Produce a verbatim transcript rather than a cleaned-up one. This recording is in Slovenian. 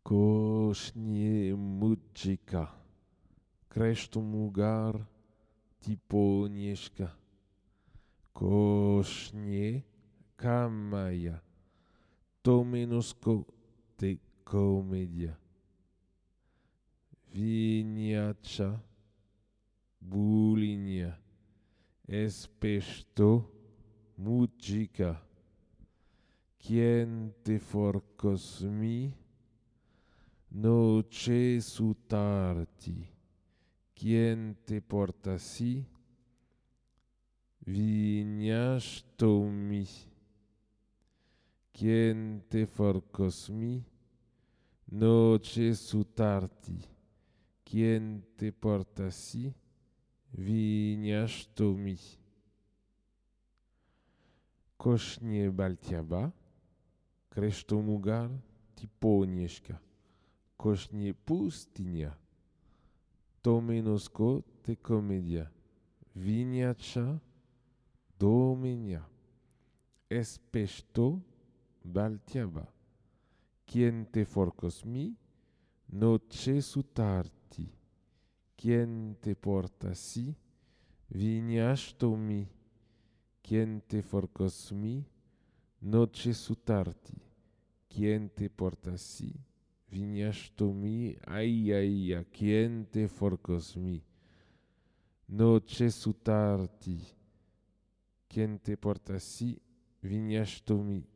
Kośnie mudzika, kresztomugar tiponieszka. Kośnie kamaja, to menosko te komedia. Viniacha, bulinia, espesto, mudzika. Quien te forcos mi, noche sutarti. Quien te porta si, vignas tomi. Quien te forcos mi, noche sutarti. Quien te porta si, vignas tomi. Kośnie baltiaba, kresztomugar tiponieszka. Kośnie pustynia, to menosko te komedia. Viniacha domenia. Espesto baltiaba. Quien te forcos mi, noche sutarti. Quien te porta si, vignas tomi. Quien te forcos mi, noche sutarti. Quien te porta si, vignas tomi. Ay, ay, a quien te forcos mi, noche sutarti. Quien te porta si, vignas tomi.